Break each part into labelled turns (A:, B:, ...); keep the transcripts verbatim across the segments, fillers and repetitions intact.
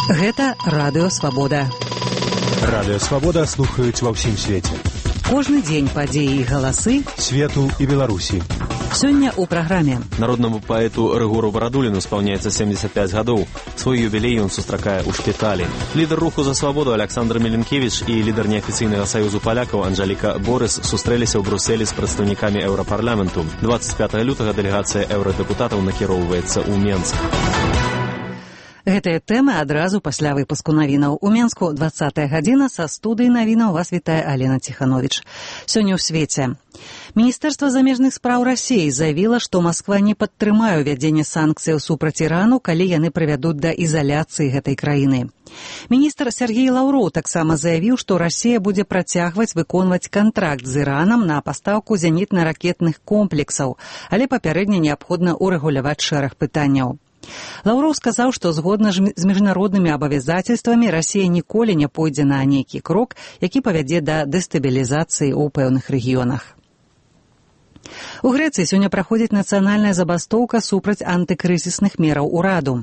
A: Гэта Радыё Свабода.
B: Радыё Свабода слухаюць ва ўсім свеце.
A: Кожны дзень падзеі і галасы
B: свету і Беларусі.
A: Сёння ў праграме.
C: Народнаму паэту Рыгору Барадуліну спаўняецца семдзесят пяць гадоў. Свой юбілей ён сустракае ў шпіталі. Лідар руху за свабоду Александр Меленкевіч і лідар неафіцыйнага саюзу палякаў Анжаліка Борыс сустрэліся ў Брусэлі з прадстаўнікамі еўрапарламенту. дваццаць пятага лютага дэлегацыя еўрадэпутатаў накіроўваецца ў Менск.
A: Гэтыя тэмы адразу пасля выпуску навінаў. У Менску дваццатая гадзіна, са студыі навінаў вас вітае Алена Ціхановіч. Сёння ў свеце. Міністэрства замежных спраў Расіі заявіла, што Масква не падтрымае ўвядзенне санкцыяў супраць Ірану, калі яны прывядуць да ізаляцыі гэтай краіны. Міністр Сергей Лаўроў таксама заявіў, што Расія будзе працягваць выконваць кантракт з Іранам на пастаўку зенітна-ракетных комплексаў, але папярэдне неабходна ўрэгуляваць шэраг пытанняў. Лаўроў сказаў, што згодна з міжнароднымі абавязацельствамі Расія ніколі не пойдзе на нейкі крок, які павядзе да дэстабілізацыі ў пэўных рэгіёнах. У Грэцыі сёння праходзіць нацыянальная забастоўка супраць антыкрызісных мераў ураду.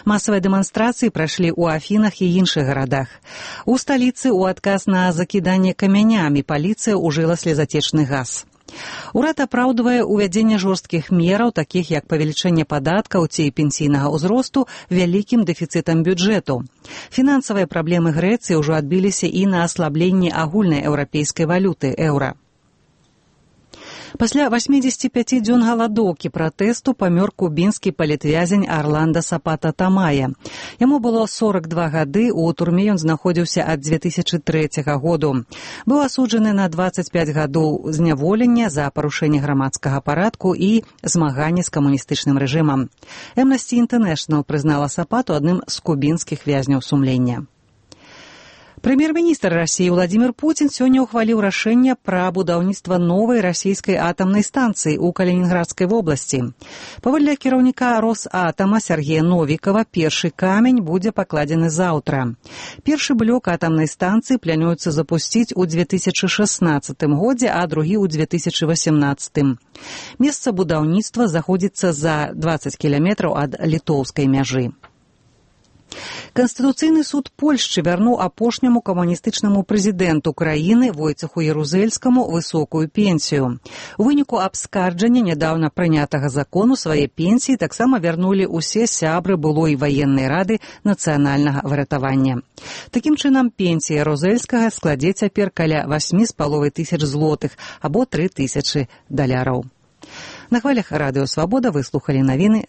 A: Масавыя дэманстрацыі прайшлі ў Афінах і іншых гарадах. У сталіцы ў адказ на закіданне камянямі паліцыя ўжыла слезацечны газ. Урад апраўдвае ўвядзенне жорсткіх мераў, такіх як павелічэнне падаткаў ці пенсійнага ўзросту, вялікім дэфіцытам бюджэту. Фінансавыя праблемы Грэцыі ўжо адбіліся і на аслабленні агульнай еўрапейскай валюты еўра. Пасля васьмідзесяці пяці дзён галадоўкі пратэсту памёр кубінскі палітвязень Арланда Сапата Тамая. Яму было сорак два гады, у турме ён знаходзіўся ад дзве тысячы трэцяга году. Быў асуджаны на дваццаць пяць гадоў зняволення за парушэнне грамадскага парадку і змаганне з камуністычным рэжымам. Amnesty International прызнала Сапату адным з кубінскіх вязняў сумлення. Прэм'ер-міністр Расіі Владзімір Пуцін сёння ўхваліў рашэнне пра будаўніцтва новай расійскай атамнай станцыі ў Калінінградскай вобласці. Паводле кіраўніка Росатама Сергея Новікава, першы камень будзе пакладзены заўтра. Першы блок атамнай станцыі плануецца запусціць у дзве тысячы шаснаццатым годзе, а другі ў дзве тысячы васямнаццатым. Месца будаўніцтва знаходзіцца за дваццаць кіламетраў ад літоўскай мяжы. Канстытуцыйны суд Польшчы вярнуў апошняму камуністычнаму прэзідэнту краіны Войцеху Ярузельскаму высокую пенсію. У выніку абскарджання нядаўна прынятага закону свае пенсіі таксама вярнулі ўсе сябры былой ваеннай рады нацыянальнага выратавання. Такім чынам, пенсія Ярузельскага складзе цяпер каля васьмі з паловай тысяч злотых або тры тысячы даляраў. На хвалях Радыё Свабода вы слухалі навіны.